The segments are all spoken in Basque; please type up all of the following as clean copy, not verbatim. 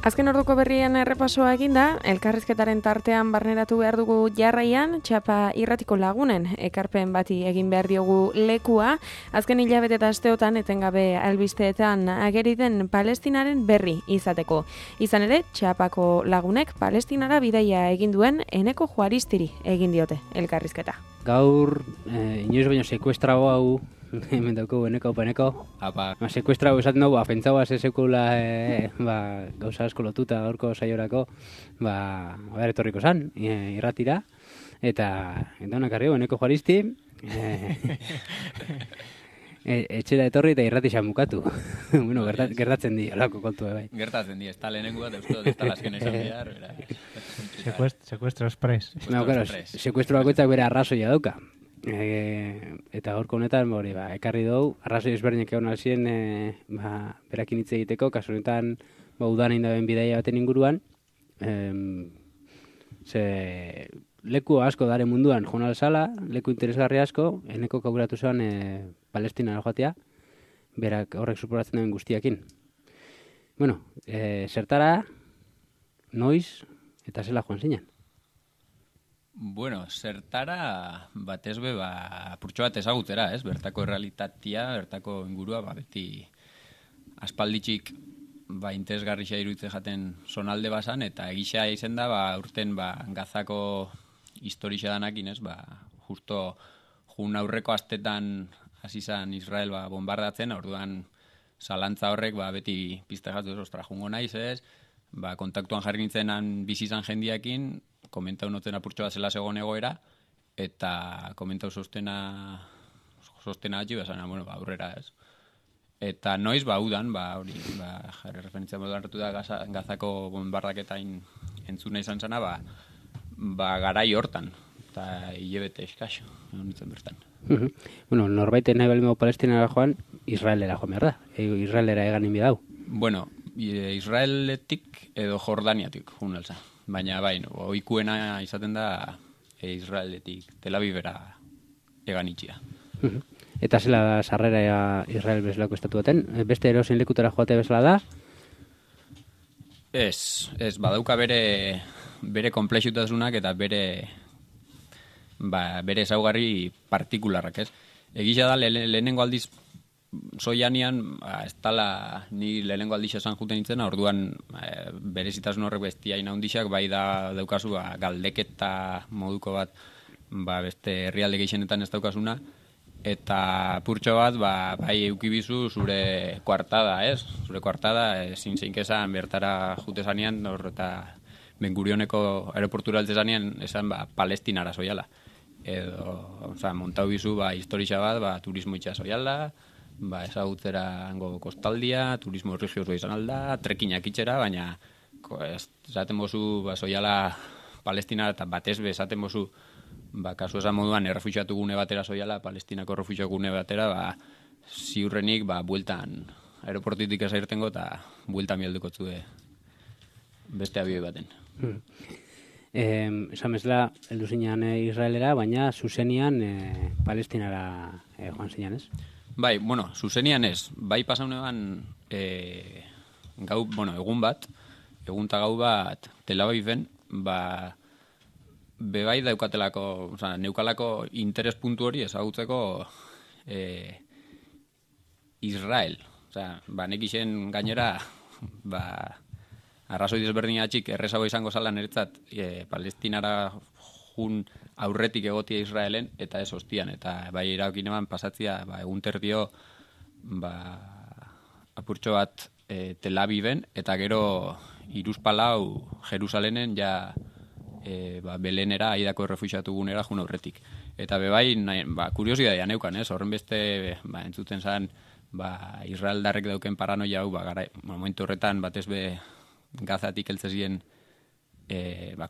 Azken orduko berrien errepasoa eginda, elkarrizketaren tartean barneratu behar dugu jarraian, Txapa irratiko lagunen ekarpen bati egin behar diogu lekua, azken hilabete eta asteotan etengabe albisteetan ageri den Palestinaren berri izateko. Izan ere, Txapako lagunek Palestinara bidaia egin duen Eneko Juaristiri egin diote elkarrizketa. Gaur, inoiz baino sekuestrago hau, hemen dauko Eneko. Sekuestrago esaten dugu, pentsau sekula gauza asko lotuta gaurko saiorako, etorriko zan, irratira, eta honak arrio, Eneko Juaristi, etxera etorri eta irrati xamukatu. Bueno, gertatzen di, olako kontu bai. Gertatzen di, ez da lehenengo bat, ez da lasken esan behar. Secuestro express. Sekuestro bakoitzak bere arrazoia dauka. Eta gaurko honetan ekarri dugu, arrazoi ezberdinak egon alzien berakin hitz egiteko, kasu honetan udan egin daben bidaia baten inguruan, leku asko dare munduan joan alzala, leku interesgarri asko, Eneko kauratu zuen Palestinara joatea, berak horrek suporatzen duen guztiakin. Bueno, zertara, noiz eta zela joan zinen? Bueno, zertara batez be, apurtxo bat ezagutera, ez? Bertako errealitatea, bertako ingurua, beti aspalditxik interesgarria iruditzen jaten zonalde bazan, eta egisa izen da, urten Gazako historia danakin, ez? Justo jun aurreko astetan hasi zan Israel bombardatzen, orduan zalantza horrek beti pizte jatu, ostra, jungo naiz, ez? Kontaktuan jarri nintzenan bizizan jendiakin, komentau noten apurtxo bat zela zegoen egoera, eta komentau sostena atxi, aurrera, ez. Eta noiz, udan, jarri referentzia moduan hartu da Gazako bombardaketain entzuna izan zena, garai hortan, eta hilebete eskaxo, nintzen bertan. Bueno, norbaiten nahi balimo Palestinara joan, Israelera joan behar da, Israelera egan inbi dau. Bueno, Israeletik edo Jordaniatik joan alza. Baina oikuena izaten da Israeletik, Tel Avivera egan itxia. Eta zela da sarrera Israel bezalako estatu baten? Beste erosin lekutara joatea bezala da? Ez, badauka bere komplexutasunak eta bere ezaugarri partikularrak, ez? Egisa da lehenengo aldiz soianian, ez tala ni lehenengo aldiz esan juten nintzen, orduan berezitasun horrek bestia inaundixak, da daukazu galdeketa moduko bat, beste herrialde gehienetan ez daukasuna, eta purtxo bat, bai eukibizu zure koartada, ez? Zure koartada, ezin zeinkezan bertara jute zanean, eta Ben-Gurioneko aeroportura alde zanean, esan Palestinara soiala. Edo, montau bizu, historia bat, turismo itxea soiala, ezagutzera hango kostaldia, turismo religioso izan alda, trekinak itxera, baina esaten bozu soiala Palestinara eta batez be esaten bozu kasu esan moduan errefuxiatu gune batera soiala, Palestinako errefuxiatu gune batera, ziurrenik bueltan aeroportitik ezairtengo eta bueltan bialduko zue beste abioi baten. Esan bezala, heldu zinean Israelera, baina zuzenian Palestinara joan zinean, ez? Zuzenian ez. Pasaunean egun gau bat, Tel Aviven, bebai daukatelako, neukalako interes puntu hori ezagutzeko Israel. Nekixen gainera, arrazoi desberdinatxik errezago izango zala niretzat Palestinara jun aurretik egotia Israelen, eta ez hostian, eta iraokin eman pasatzia egun terdio apurtxo bat Tel Aviven, eta gero Iruzpalau Jerusalenen Belenera, Aidako errefuxiatu gunera jun aurretik. Eta kuriosidadea neukan, ez? Horren beste entzuten zan Israeldarrek dauken paranoia hau, momentu horretan batez be Gazatik heltzezien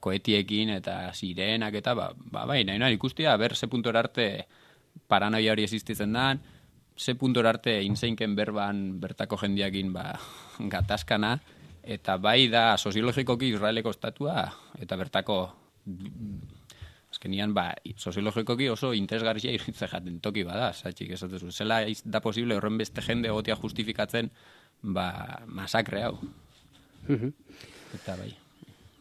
koetiekin eta sirenak eta nahi ikustia, ze puntora arte paranoia hori existitzen dan, ze puntora arte inseinken berban bertako jendiakin gatazkana, eta da soziologikoki Israeleko estatua, eta bertako azkenian soziologikoki oso interesgarria iritze jaten toki bada, zatxik esatezu. Zela da posible horren beste jende egotea justifikatzen masakre hau. Eta bai.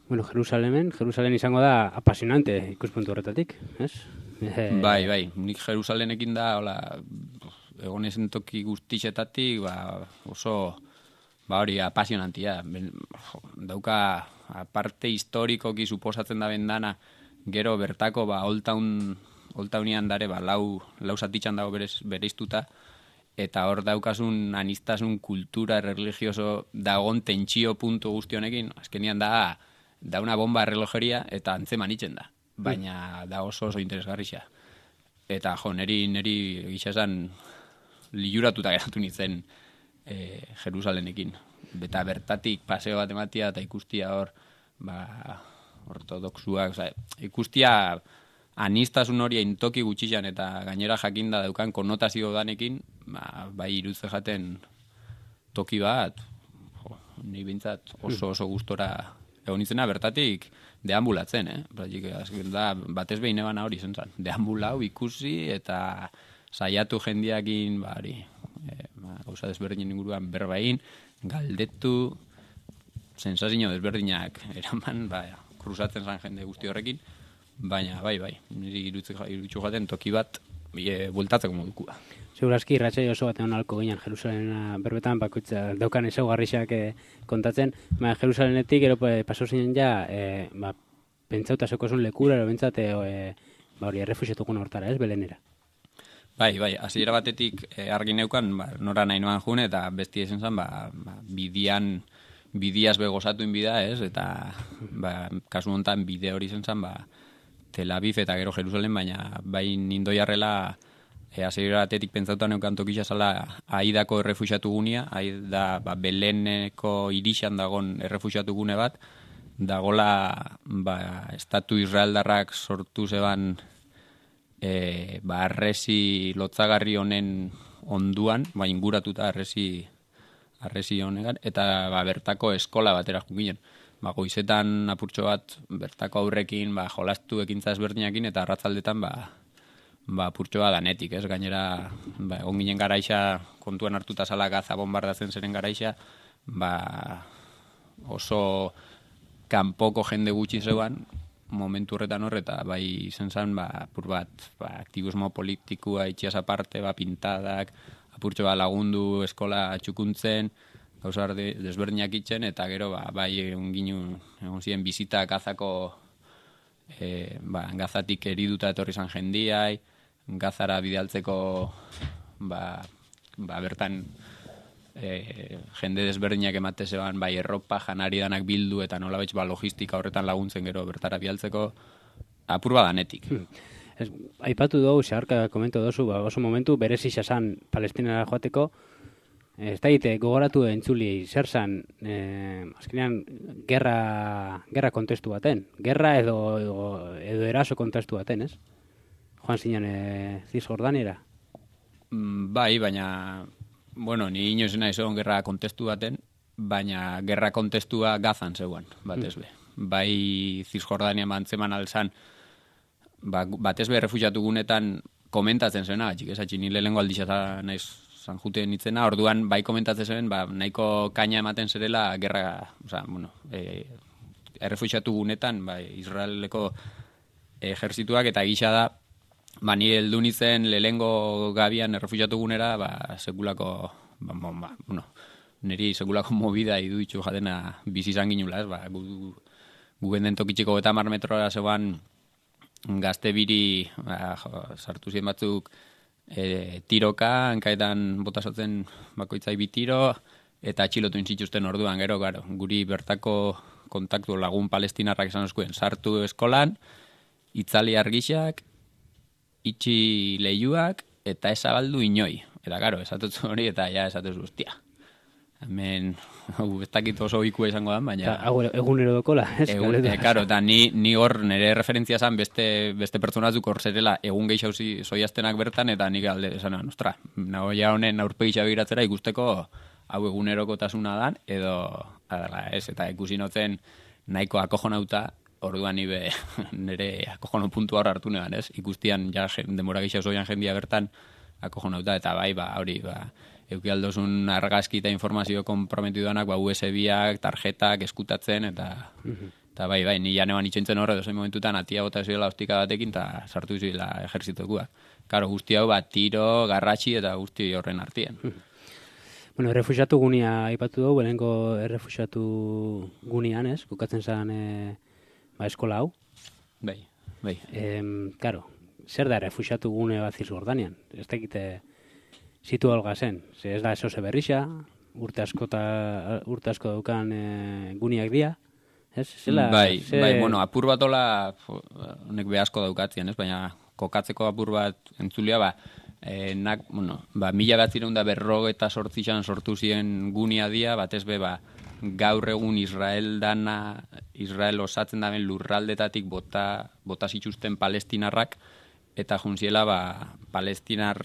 Bueno, Jerusalen izango da apasionante ikuspuntu horretatik, ez? Bai, nik Jerusalenekin da, hola, egon ezen toki guztixetatik, oso, hori, apasionantia. Dauka, aparte historikoki suposatzen da bendana, gero bertako, Old Townian dare, lau zatitxan dago bereiztuta, eta hor daukasun anistasun kultura religioso dagon tentsio puntu guzti honekin, azkenian da una bomba errelojeria eta antzeman itzen da. Baina da oso interesgarrixa. Eta neri gisa esan liuratuta geratu nintzen Jerusalenekin. Eta bertatik paseo bat ematia eta ikustia hor ortodoxuak, ikustia anistasun hori intoki gutxixan eta gainera jakinda daukan konnotazio danekin, bai irudze jaten toki bat, ni bintzat oso gustora egon izena bertatik deambulatzen, da batez behin ebana hori zentzan, deambulau ikusi eta saiatu jendiakin, gauza desberdinen inguruan berbain, galdetu, sensazio desberdinak eraman, kruzatzen zan jende guzti horrekin, baina bai, niri irutxu jaten toki bat bueltatzeko modukua. Segurazki, irratxai oso bat egon alko ginen Jerusalena berbetan, bakoitza daukan ezaugarrixak kontatzen. Jerusalenetik, gero paso zinen ja, pentsauta zekozun lekura, ero bentsat, hori, errefuxetukun hortara, ez, Belenera? Bai, hasiera batetik argi neukan, nora nahi noan june, eta bestia esan zen, bidiaz begozatu inbida, ez, eta kasu honetan bide hori zen zen, Tel Aviv eta gero Jerusalen, baina bai nindoiarrela hasiera batetik pentsauta neukan tokisa zala Aidako errefuxiatu gunea, Aida Beleneko irixan dagon errefuxiatu gune bat, dagola estatu israeldarrak sortu zeban arresi lotzagarri honen onduan, inguratuta arresi honegan, eta bertako eskola batera junginen. Goizetan apurtxo bat bertako aurrekin jolastu ekintza ezberdinakin eta arratzaldetan apurtxo bat danetik, ez? Gainera, egon ginen garaixa, kontuan hartuta zala Gaza bombardatzen zeren garaixa, oso kanpoko jende gutxi zeuan, momentu horretan horreta, bai izen zan, apur bat, aktivismo politikua itxiaz aparte, pintadak, apurtxo bat lagundu eskola txukuntzen, gauzar desberdinak itzen, eta gero, bai egon ziren bizita Gazako, Gazatik eriduta etorri zan jendiai, Gazara bidaltzeko, bertan jende desberdinak emate zeban, erropa, janari danak bildu, eta nola betx logistika horretan laguntzen gero bertara bidaltzeko, apur badanetik. Aipatu dugu, zeharka komento dozu, oso momentu, berezi xasan Palestinara joateko, ez da gogoratu entzuli, zer zan, azkenean, gerra kontestu baten. Gerra edo eraso kontestu baten, ez? Joan zinen Cisjordaniera? Bai, baina, ni inoiz nahi zegoen gerra kontestu baten, baina gerra kontestua Gazan zegoen, batez be. Bai Cisjordania bantzeman alzan, batez be refuxiatu gunetan komentatzen zena, txikesatxi nile lengo aldixata naiz zan juten nitzena, orduan bai komentatzen zen, nahiko kaina ematen zerela gerra, errefuxiatu gunetan, Israeleko ejerzituak, eta gisa da, nire heldu nitzen lehengo gabian errefuxiatu gunera, sekulako, niri sekulako movida idu itxu jatena bizizan ginula, ez, gu benden tokitxiko 50 metrora zegoan gazte biri, sartu ziren batzuk, tiroka, hankaetan botasatzen bakoitzai bitiro, eta atxilotu intzituzten orduan, gero, guri bertako kontaktu lagun palestinarrak esan oskuen, sartu eskolan, itzali argixak, itxi lehiuak, eta ezabaldu inoi. Eta, esatutzu hori, eta esatuz guztia. Hemen, ez dakit oso ikua izango da, baina... Egunero dokola, ez? Eta ni hor nire referentzia zan beste pertsonatzuk hor zerela egun gehiago zoiaztenak bertan, eta nik alde esan, ostra, nagoia honen aurpegitza begiratzera ikusteko hau egunerokotasuna dan, edo, ez, eta ikusi notzen nahiko akojonauta, orduan nire akojono puntu hor hartu negan, ez? Ikustian, demora gehiago zoian jendia bertan, akojonauta, eta bai, hori, euki aldozun argazki eta informazio komprometiduanak, USB-ak, tarjetak, eskutatzen, eta bai, ni janean itxentzen horre, dozen momentutan, atia bota zioela ostika batekin, eta sartu zioela ejerzitokuak. Karo, guzti hau bat, tiro, garratxi, eta guzti horren artien. Bueno, errefuxiatu gunia aipatu dugu, belengo errefuxiatu gunean, ez? Kokatzen zen eskola hau. Bai. Karo, zer da errefuxiatu gune bat Zizjordanian? Ez dakite zitu alga zen. Ez da eso berrixa, urte asko daukan guniak dira. Ez? Bai, bueno, apur bat hola, honek be asko daukatzen, ez? Baina kokatzeko apur bat entzulia, mila 1948an sortu ziren gunia dia, batez be, gaur egun Israel osatzen daben lurraldetatik bota zituzten palestinarrak, eta juntziela palestinar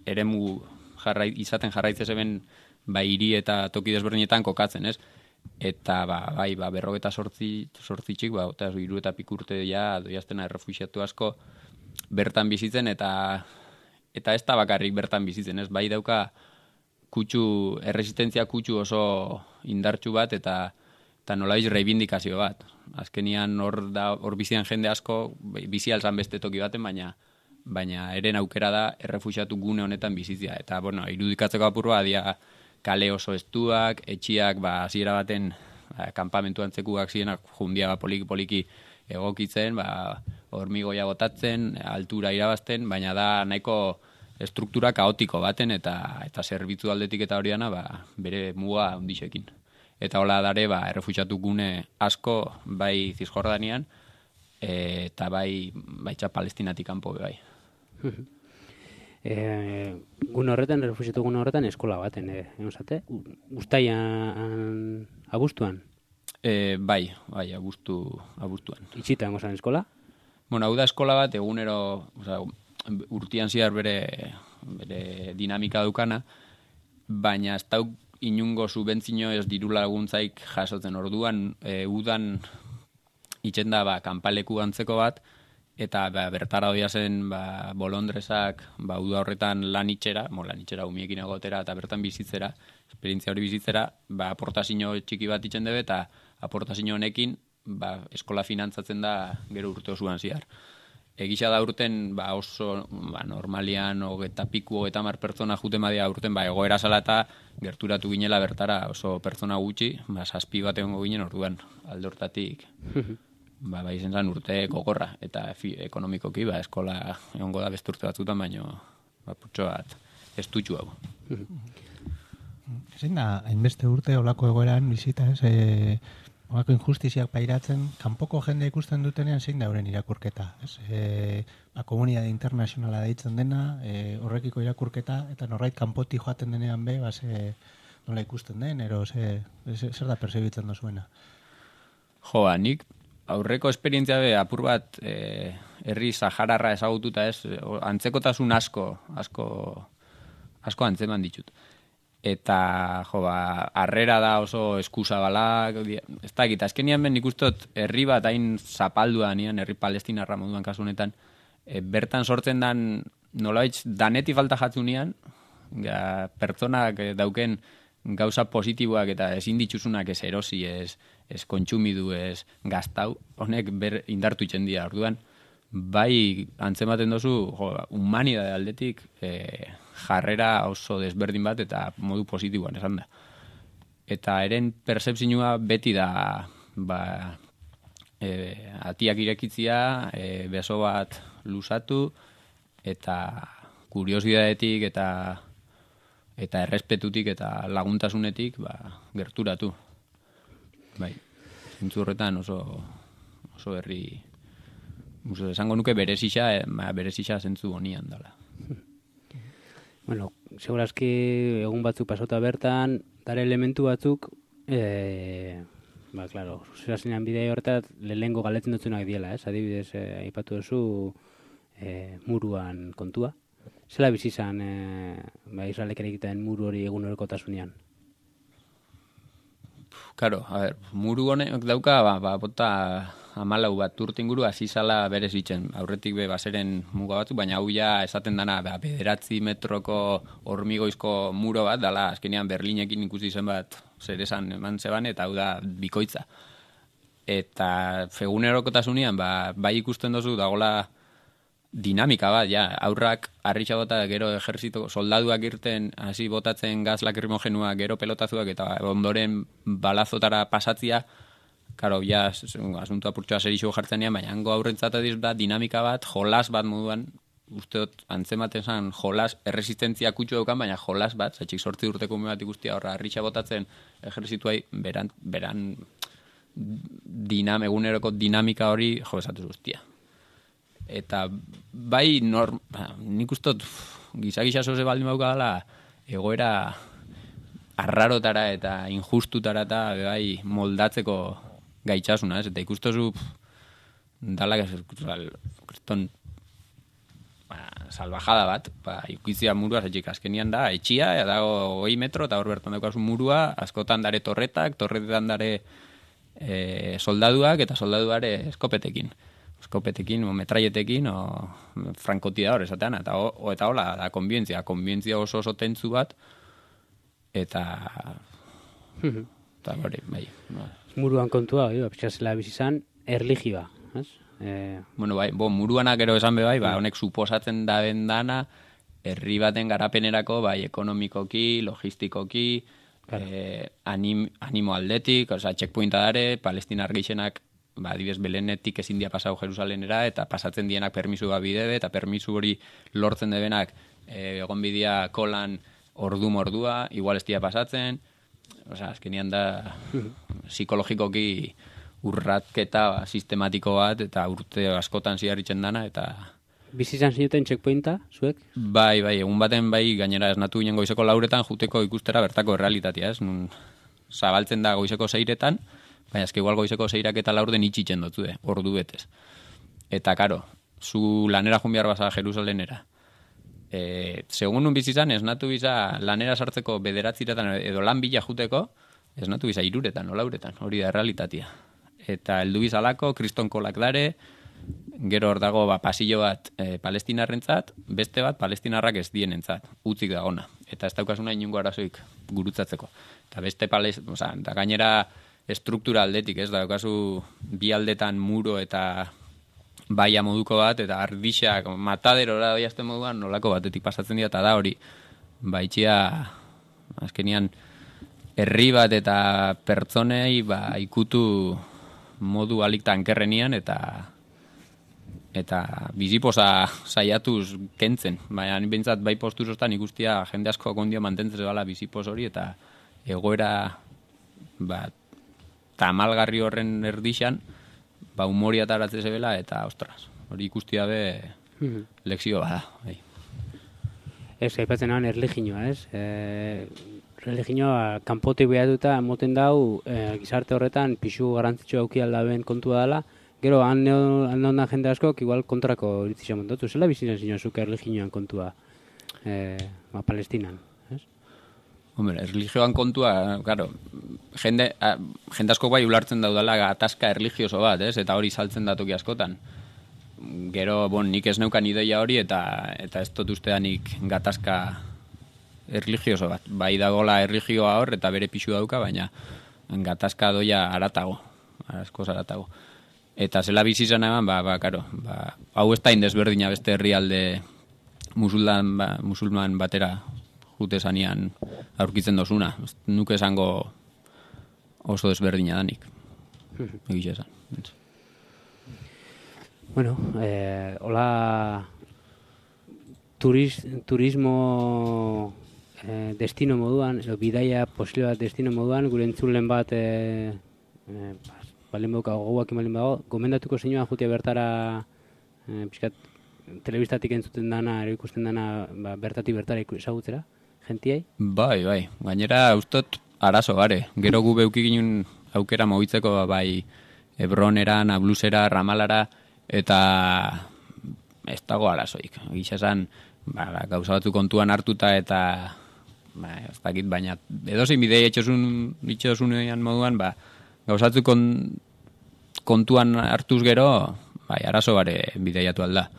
eremu izaten jarraitzen zeben hiri eta toki desberdinetan kokatzen, ez? Eta berrogeta sortzitxik, eta hiru eta pikurte doiaztena errefuxiatu asko bertan bizitzen, eta ez da bakarrik bertan bizitzen, ez? Bai dauka erresistentzia kutsu oso indartsu bat, eta nolaiz reivindikazio bat. Azkenian hor bizian jende asko, bizi alzan beste toki baten, baina eren aukera da errefuxiatu gune honetan bizitzia. Eta, irudikatzeko apurua, dia kale oso estuak, etxiak, hasiera baten kanpamentu antzekuak zirenak jundia poliki egokitzen, hormigoia botatzen, altura irabazten, baina da nahiko struktura kaotiko baten eta zerbitzu aldetik eta hori dana bere muga handixekin. Eta hola dare errefuxiatu gune asko bai Zizjordanian eta bai Palestinatik kanpo bai. Gune horretan, errefuxiatu gune horretan eskola baten, egozate? Uztaian abuztuan? Bai, abuztuan. Itxita egozan eskola? Bueno, hau da eskola bat egunero, urtian zihar bere dinamika dukana, baina ez dauk inungo subentzino ez diru laguntzaik jasotzen orduan, udan itxenda kanpaleku antzeko bat, eta bertara doia zen bolondresak uda horretan lan itxera umiekin egotera eta bertan bizitzera, esperientzia hori bizitzera, aportazio txiki bat itxen debe, eta aportazio honekin eskola finantzatzen da gero urte osoan zihar. Egisa da urten oso normalian 30 pertsona juten badia urten egoera zala eta gerturatu ginela bertara oso pertsona gutxi, 7 bat egongo ginen orduan alde hortatik izen zan urte gogorra eta ekonomikoki eskola egongo da beste urte batzutan, baino putxo bat estutxu hau. Zein da, hainbeste urte olako egoeran bizita, ez? Olako injustiziak pairatzen, kanpoko jende ikusten dutenean zein da euren irakurketa, ez? Komunitate internazionala deitzen dena, horrekiko irakurketa, eta norbait kanpoti joaten denean nola ikusten den, ero zer da persebitzen dozuena? Nik aurreko esperientzia apur bat herri sahararra ezagututa, ez? Antzekotasun asko antzeman ditut. Eta, harrera da oso eskusabalak, ez da egita, azkenian ben ikustot herri bat hain zapaldua nian, herri palestinarra moduan kasu honetan, bertan sortzen dan, nolaitz, daneti falta jatzu nian, pertsonak dauken gauza positiboak eta ezin ditzuzunak ez erosi, ez kontsumidu, ez gaztau, honek indartu itxendia, orduan, bai antzematen dozu, humanidade aldetik, jarrera oso desberdin bat eta modu positiboan esan da. Eta eren percepzioa beti da atiak irekitzia, beso bat luzatu eta kuriosidadetik eta errespetutik eta laguntasunetik gerturatu. Bai, zentzu horretan oso herri esango nuke berezisa zentzu honian dela. Bueno, segurazki egun batzuk pasota bertan, dare elementu batzuk, klaro, zuzerazinean bidea horretat, lehengo galetzen dutzunak diela, ez? Adibidez, aipatu duzu muruan kontua. Zela bizizan, Israelek erikitaen muru hori egun horrekotasunean? Karo, muru honek dauka, bota 14 bat urte inguru hasi zala berez itzen. Aurretik bazeren muga batzuk, baina hau ja esaten dana 9 metroko hormigoizko muro bat, dala azkenean Berlinekin ikusi zen bat zer esan eman zeban, eta hau da bikoitza. Eta egunerokotasunean bai ikusten dozu dagola dinamika bat, ja, aurrak harritxa bota, gero ejerzito soldaduak irten, hasi botatzen gaz lakrimogenua, gero pelotazuak, eta ondoren balazotara pasatzia, karo, ja, asuntua purtsoa serixo jartzen nian, baina hango aurrentzat ediz da dinamika bat, jolas bat moduan, usteot antzematen zan jolas, erresistentzia kutsu daukan, baina jolas bat, zatxik 8 urteko ume bat ikustia horra harritxa botatzen ejerzituai, beran eguneroko dinamika hori jo esatu guztia. Eta bai, nik ustot gizakisa zoze baldin bauka dela egoera arrarotara eta injustutara eta bai moldatzeko gaitxasuna, ez? Eta ikustozu dala kriston salvajada bat, ikizia murua zetxik azkenian da, etxia, dago 20 metro, eta hor bertan daukazu murua, askotan dare torretetan dare soldaduak, eta soldaduare eskopetekin, o metraietekin, o frankotiador esatean, eta hola, da konbientzia oso tentzu bat, eta hori, bai. Muruan kontua, pixazela bizizan, erligioa, ez? Bueno, bai, muruanak gero esan bai, honek suposatzen da dana, herri baten garapenerako, bai, ekonomikoki, logistikoki, animo aldetik, oza, checkpointa dare, palestinar gehienak, adibidez Belenetik ezin dia pasau Jerusalenera, eta pasatzen dienak permisu bat bidebe, eta permisu hori lortzen debenak egon bidea kolan ordua, igual ez dia pasatzen, oza, azkenian da psikologikoki urratketa sistematiko bat, eta urte askotan ziarritzen dana, eta... Bizizan zinuten checkpointa, zuek? Bai, egun baten bai, gainera esnatu ginen goizeko lauretan juteko ikustera bertako errealitatea, ez? Nun zabaltzen da goizeko 6etan, baina ezke igual goizeko 6ak eta laurden itxitzen dutzu, ordu betez. Eta, karo, zu lanera jun behar baza Jerusalenera. Segun nun bizizan, esnatu biza lanera sartzeko 9 edo lan bila juteko, esnatu biza 3etan, o lauretan, hori da errealitatea. Eta heldu bizalako, kristonkolak dare, gero hor dago pasillo bat palestinarrentzat, beste bat palestinarrak ez dienentzat, utzik dagona. Eta ez daukasuna inungo arazoik gurutzatzeko. Eta beste da gainera struktura aldetik, ez daukazu bi aldetan muro eta baia moduko bat, eta ardixak mataderora doiazten moduan nolako batetik pasatzen dira, eta da hori, baitxia, azkenian, herri bat eta pertsonei ikutu modu alik tankerrenian, eta biziposa saiatuz kentzen. Baina bintzat bai posturostan ikustia jende asko kondio mantentzen bala bizipos hori, eta egoera tamalgarri horren erdixan, humoria taratze zebela, eta ostras, hori ikustia be lekzio bada. Ez, aipatzen nahan erliginoa, ez? Religioa kanpotik behatuta moten dau gizarte horretan pixu garantzitsu auki aldaben kontua dela, gero han ondan jende askok igual kontrako iritzisa montatu. Zela bizinen zinozuk erligioan kontua Palestinan, ez? Hombre, erligioan kontua, claro, jende asko bai ulartzen daudala gatazka erligioso bat, ez? Eta hori saltzen datoki askotan. Gero, nik ez neukan ideia hori, eta ez dut usteanik gatazka erligioso bat. Bai dagola erligioa hor, eta bere pixu dauka, baina gatazka doia aratago, askoz aratago. Eta zela bizizan eman, hau ez da indezberdina beste herrialde musulman batera jute zanean aurkitzen dozuna. Nuke esango oso desberdina danik. Egiz esan. Bueno, hola turismo destino moduan, edo bidaia posible bat destino moduan, gure entzulen bat balen bauka goguak imalin bago, gomendatuko zeinuan jutia bertara pixkat telebistatik entzuten dana, ero ikusten dana bertatik bertara ezagutzera, gentiai? Bai, gainera ustot arazo gare, gero gu beuki ginen aukera mobitzeko bai Hebronera, Nablusera, Ramalara, eta ez dago arazoik. Gisa esan, gauza batzu kontuan hartuta eta ez dakit, baina edozein bidei itxosunean moduan, gauzatzuk kontuan hartuz gero, bai, arazo bare bideiatu alda.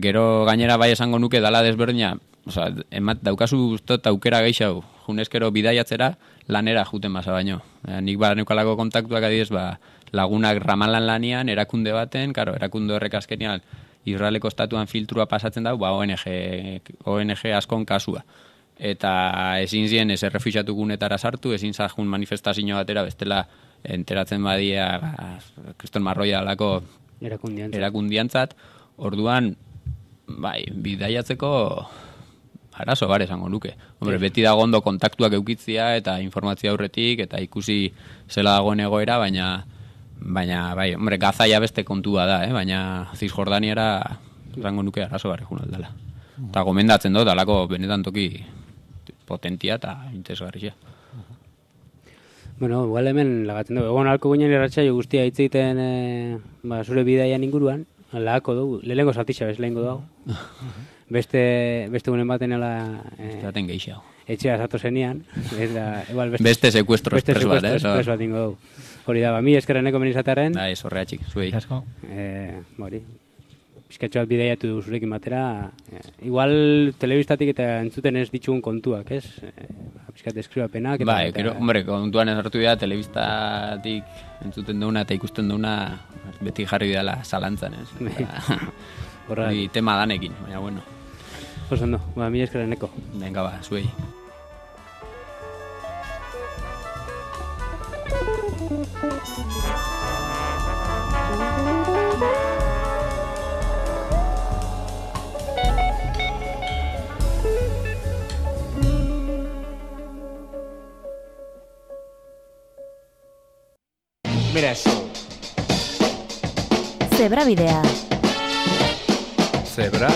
Gero gainera bai esango nuke dala desberdina, osea, daukazu ustot aukera gehiago, junezkero bidaiatzera lanera juten basa baino. Nik neukalako kontaktuak adidez, lagunak Ramalan lanian, erakunde baten, karo, erakunde horrek azkenean Israeleko estatuan filtrua pasatzen da, ONG askon kasua. Eta ezin zien ez errefuxiatu gunetara sartu, ezin zahun manifestazio batera, bestela enteratzen badia Kriston Marroia alako erakundiantzat. Orduan, bai, bidaiatzeko arazo bare esango nuke. Hombre, beti dago ondo kontaktuak eukitzia eta informazio aurretik eta ikusi zela dagoen egoera, baina bai, hombre, Gazaia beste kontua da, baina Cisjordaniara esango nuke arazo bare jun aldala. Eta gomendatzen dut, alako benetan toki potentia eta interesgarria. Bueno, igual hemen lagatzen dugu. Egon alko ginen irratsaio guztia hitz egiten zure bidaian inguruan, lagako dugu, lehenko zatixa bez lehenko dugu. Beste gunen baten ala... Zaten gehiago. Etxea zato zenian. Beste sekuestro espres bat, espres bat ingo dugu. Hori da, mi eskerreneko menizatearen. Da, ez horreatxik, zuei. Asko. Hori. Bizkatxo bat bideiatu zurekin batera. Igual telebistatik eta entzuten ez ditugun kontuak, ez? Bizkat deskribapenak. Ba, hombre, kontuan ez hartu dira, telebistatik entzuten duna eta ikusten duna beti jarri dela zalantzan, ez? Hori tema danekin, baina bueno. Oso ondo, mi eskerreneko. Venga ba, zuei. Beraz. Zebra bidea. Zebra